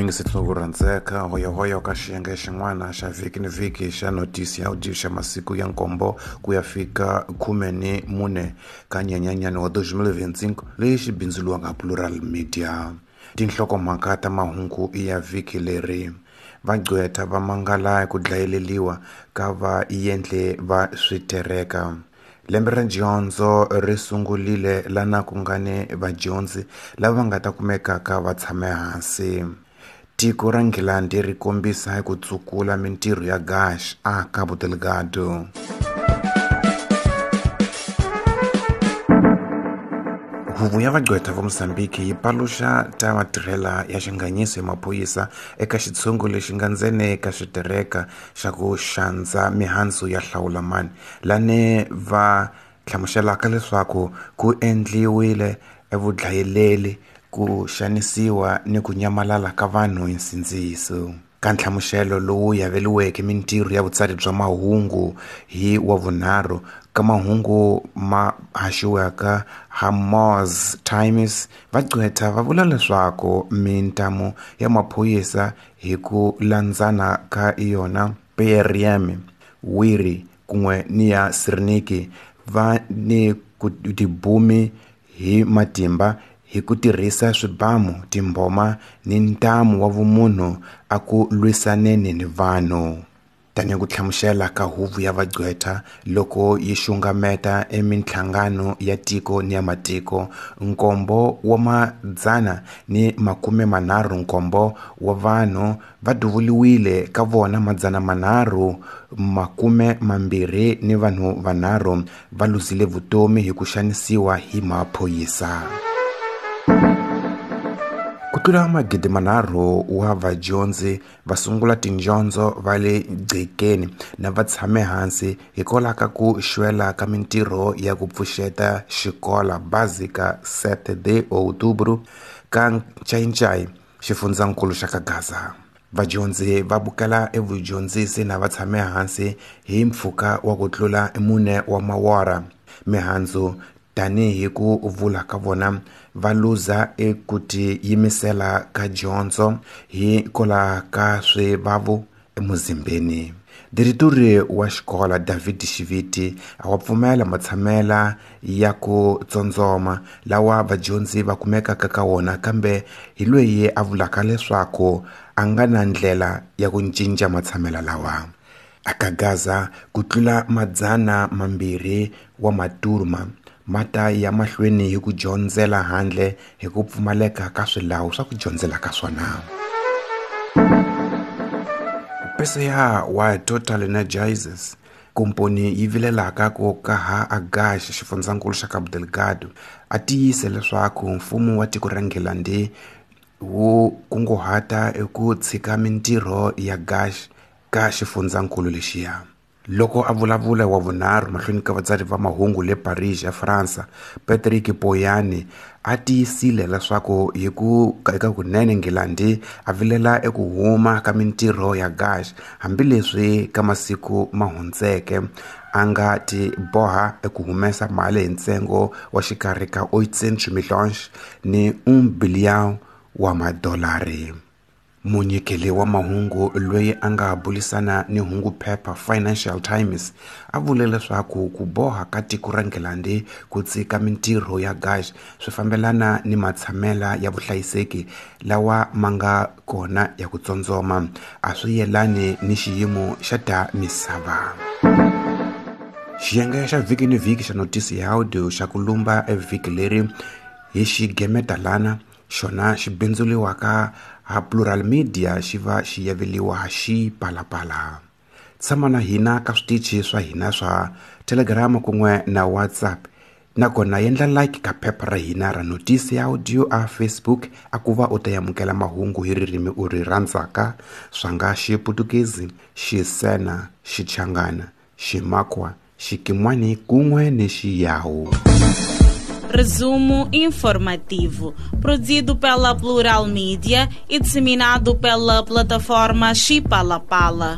Mingiseti ku rhandzeka hoyohoyo ka xiyenge xin'wana xa vhiki ni vhiki xa notisi ya audio xa masiku ya nkombo ku ya fika 14 ka nyenyanyani wa 2025 leyi xi bindzuriwaka Plural Media. Tinhlokomhaka ta mahungu ya vhiki leri: vagqwetha va mangala ku dlayeleliwa ka vaendli va switereka. Lembe ra dyondzo ri sungurile lana ku nga ni vadyondzi lava nga ta kumekaka va tshame hansi. Tiko ra Nghilandhi ri kombisa ku tsukula mintirho ya gas a Cabo Delgado. Huvo ya vagqwetha va Mozambique yi paluxa ta matirhela ya xinganyiso ya maphorisa eka xitshungu lexi nga ndzeni ka switereka xa ku xandza mihandzu ya hlawulamani, lani va hlamuselaka leswaku ku endliwile evudlayeleli, ku xanisiwa ni ku nyamalala ka vanhu hi nsindziso. Ka nhlamuselo lowu yaveriweke mintirho ya vutsari bya mahungu hi wa vunharhu ka mahungu ma haxiwaka ha Moz Times, vagqwetha va vula leswaku mintamu ya maphorisa hi ku landzana ka yona PRM, Wiri kun'we ni ya Sirniki va ni ku tibumi hi matimba hi ku tirhisa swibamu, timboma ni ntamu wa vumunhu a ku lwisaneni ni vanhu. Tanihi ku hlamusela ka huvo ya vagqwetha loko yi xungameta eminhlangano ya tiko ni ya matiko, 737 wa vanhu va duvuriwile, ka vona 320 ni vanhu vanharhu va luzile vutomi hi ku xanisiwa hi maphorisa. Ku tlula 3,000 wa vadyondzi va sungula tidyondzo va le gcekeni na va tshame hansi hikwalaho ka ku xwela ka mintirho ya ku pfuxeta xikola Básica 7 de Outubro ka Ncayincai, xifundzankulu xa Kagaza. Vadyondzi va bukela evudyondzisi na va tshame hansi hi mpfhuka wa ku tlula 4 wa mawara. Mihandzu tanihi ku vula ka vona va luza eku tiyimisela ka dyondzo hikwalaho ka swivavu emuzimbeni. Dirituri wa xikola David Xiviti a wa pfumela matshamela ya ku tsondzoma lawa vadyondzi va kumekaka ka wona, kambe hi loyi a vulaka leswaku a nga na ndlela ya ku cinca matshamela lawa. Aka Gaza ku tlula 200 wa maturma ma ta ya mahlweni hi ku dyondzela handle hi ku pfumaleka ka swilawu swa ku dyondzela ka swona. PCA wa Total Energies, komponi yi vilelaka ku ka ha Agash xifundzankulu xa Cabo Delgado, a tiyise leswaku mfumo wa tiko ra Nghilandhi wu kunguhata eku tshika mintirho ya gas ka xifundzankulu lexiya. Loko a vulavula wa vunharhu mahlweni ka vatsari va mahungu le Paris eFransa, Patrick Poyani a tiyisile leswaku hi ku eka kunene Nghilandhi a vilela eku huma ka mintirho ya gas, hambileswi ka masiku ma hundzeke a nga ti boha eku humesa mali hi ntsengo wa xikarhi ka 800 millions ni 1 billion wa madolari. Munyikeli wa mahungu loyi a nga bulisana ni hungu phepha Financial Times a vule leswaku ku boha ka tiko ra Nghilandhi ku tshika mintirho ya gas swi fambelana ni matshamela ya vuhlayiseki lawa ma nga kona ya ku tsondzoma, a swi yelani ni xiyimo xa ta misava. Xiyenge xa vhiki ni vhiki xa notisi ya audio xa ku lumba evhiki leri hi xigemeta lana xona xi bindzuriwaka ha Plural Media xi va xi yaveliwa xi palapala. Tshama na hina ka switichi swa hina swa Telegram kun'we na WhatsApp, nakona endla like ka phepha ra hina ra notisi ya audio a Facebook a ku va u ta amukela mahungu hi ririmi u ri rhandzaka, swa nga Xiputukezi, Xisena, Xichangana, Ximakwa, Xikimwani kun'we ni Xiyawu. Resumo informativo, produzido pela Plural Mídia e disseminado pela plataforma Chipalapala.